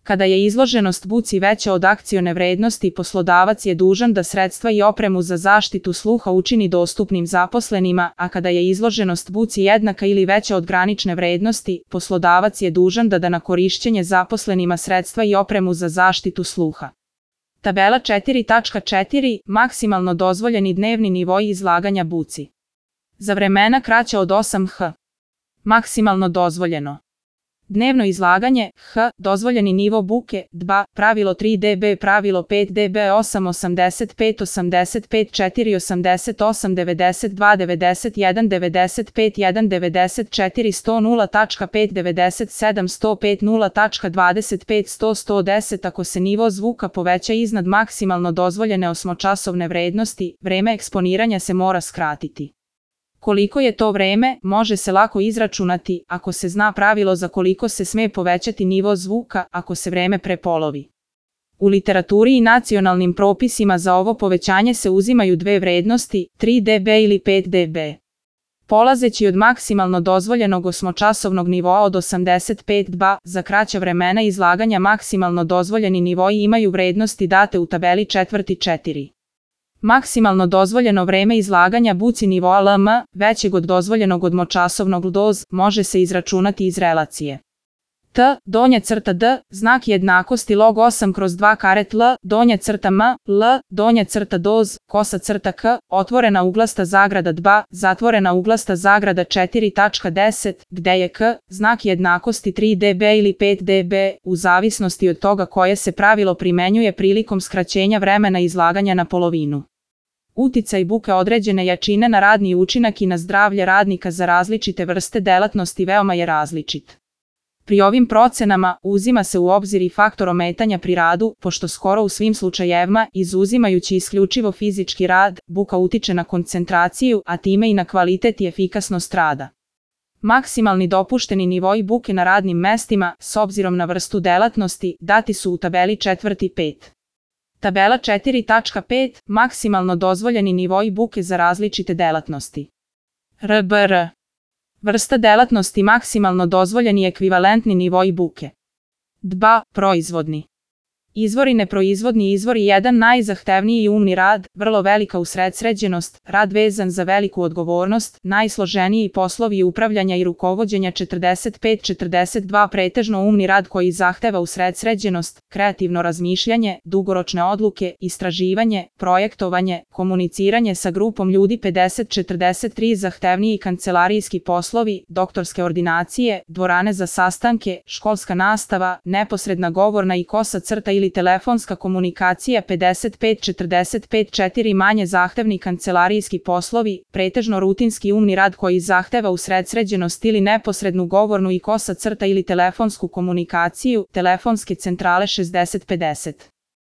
Kada je izloženost buci veća od akcione vrednosti, poslodavac je dužan da sredstva i opremu za zaštitu sluha učini dostupnim zaposlenima, a kada je izloženost buci jednaka ili veća od granične vrednosti, poslodavac je dužan da da na korišćenje zaposlenima sredstva i opremu za zaštitu sluha. Tabela 4.4. Maksimalno dozvoljeni dnevni nivoi izlaganja buci. Za vremena kraća od 8 h. Maksimalno dozvoljeno. Dnevno izlaganje, h, dozvoljeni nivo buke, 2, pravilo 3 dB, pravilo 5 dB, 8, 85, 85, 4, 88, 92, 91, 95, 1, 94, 100, 0.5, 97, 105, 0.25, 100, 110. Ako se nivo zvuka poveća iznad maksimalno dozvoljene osmočasovne vrednosti, vreme eksponiranja se mora skratiti. Koliko je to vreme, može se lako izračunati ako se zna pravilo za koliko se sme povećati nivo zvuka ako se vreme prepolovi. U literaturi i nacionalnim propisima za ovo povećanje se uzimaju dve vrednosti, 3 dB ili 5 dB. Polazeći od maksimalno dozvoljenog osmočasovnog nivoa od 85 dB, za kraća vremena izlaganja maksimalno dozvoljeni nivoi imaju vrednosti date u tabeli 4.4. Maksimalno dozvoljeno vreme izlaganja buci nivoa LM, većeg od dozvoljenog odmočasovnog doz, može se izračunati iz relacije. T, donja crta D, znak jednakosti log 8/2 karet L, donja crta M, L, donja crta doz, kosa crta K, otvorena uglasta zagrada 2, zatvorena uglasta zagrada 4.10, gde je K, znak jednakosti 3 dB ili 5 dB, u zavisnosti od toga koje se pravilo primenjuje prilikom skraćenja vremena izlaganja na polovinu. Uticaj buke određene jačine na radni učinak i na zdravlje radnika za različite vrste delatnosti veoma je različit. Pri ovim procenama uzima se u obzir i faktor ometanja pri radu, pošto skoro u svim slučajevima, izuzimajući isključivo fizički rad, buka utiče na koncentraciju, a time i na kvalitet i efikasnost rada. Maksimalni dopušteni nivoi buke na radnim mestima, s obzirom na vrstu delatnosti, dati su u tabeli 4.5. Tabela 4.5. Maksimalno dozvoljeni nivoi buke za različite delatnosti. RBR. Vrsta delatnosti maksimalno dozvoljeni ekvivalentni nivoi buke. 2. Proizvodni. Izvori neproizvodni izvori 1. Najzahtevniji i umni rad, vrlo velika usredsređenost, rad vezan za veliku odgovornost, najsloženiji poslovi upravljanja i rukovođenja 45-42. Pretežno umni rad koji zahteva usredsređenost, kreativno razmišljanje, dugoročne odluke, istraživanje, projektovanje, komuniciranje sa grupom ljudi 50-43. Zahtevniji kancelarijski poslovi, doktorske ordinacije, dvorane za sastanke, školska nastava, neposredna govorna i kosa crta ili telefonska komunikacija 55-45. 4. Manje zahtevni kancelarijski poslovi, pretežno rutinski umni rad koji zahteva usredsređenost ili neposrednu govornu i kosa crta ili telefonsku komunikaciju, telefonske centrale 60-50.